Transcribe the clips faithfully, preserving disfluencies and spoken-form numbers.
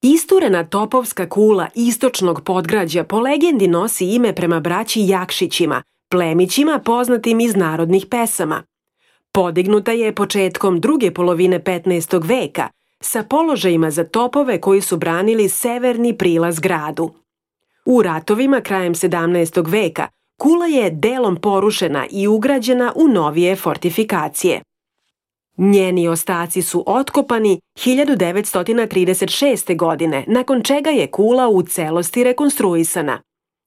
Isturena topovska kula istočnog podgrađa po legendi nosi ime prema braći Jakšićima, plemićima poznatim iz narodnih pesama. Podignuta je početkom druge polovine petnaestog veka sa položajima za topove koji su branili severni prilaz gradu. U ratovima krajem sedamnaestog veka kula je delom porušena i ugrađena u novije fortifikacije. Njeni ostaci su otkopani hiljadu devetsto trideset šeste. godine, nakon čega je kula u celosti rekonstruisana.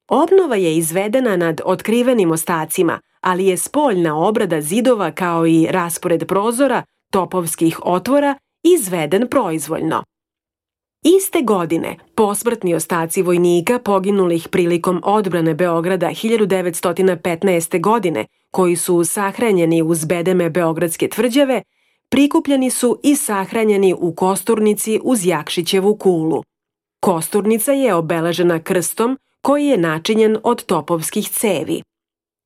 Obnova je izvedena nad otkrivenim ostacima, ali je spoljna obrada zidova kao i raspored prozora, topovskih otvora, izveden proizvoljno. Iste godine, posmrtni ostaci vojnika poginulih prilikom odbrane Beograda hiljadu devetsto petnaeste. godine, koji su sahranjeni uz bedeme Beogradske tvrđave, prikupljeni su i sahranjeni u kosturnici uz Jakšićevu kulu. Kosturnica je obeležena krstom koji je načinjen od topovskih cevi.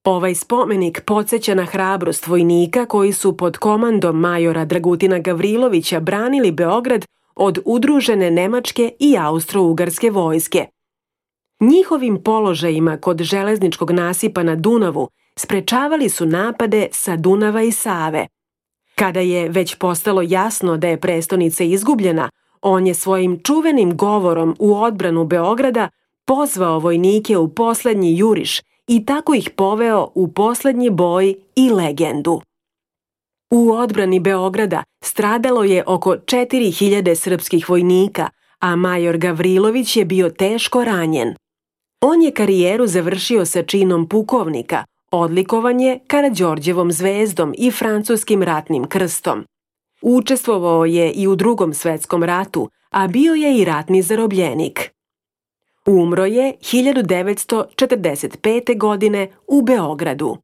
Ovaj spomenik podsjeća na hrabrost vojnika koji su pod komandom majora Dragutina Gavrilovića branili Beograd od udružene nemačke i austro-ugarske vojske. Njihovim položajima kod železničkog nasipa na Dunavu sprečavali su napade sa Dunava i Save. Kada je već postalo jasno da je prestonica izgubljena, on je svojim čuvenim govorom u odbranu Beograda pozvao vojnike u poslednji juriš i tako ih poveo u poslednji boj i legendu. U odbrani Beograda stradalo je oko četiri hiljade srpskih vojnika, a major Gavrilović je bio teško ranjen. On je karijeru završio sa činom pukovnika, odlikovan je Karađorđevom zvezdom i francuskim ratnim krstom. Učestvovao je i u Drugom svetskom ratu, a bio je i ratni zarobljenik. Umro je hiljadu devetsto četrdeset pete. godine u Beogradu.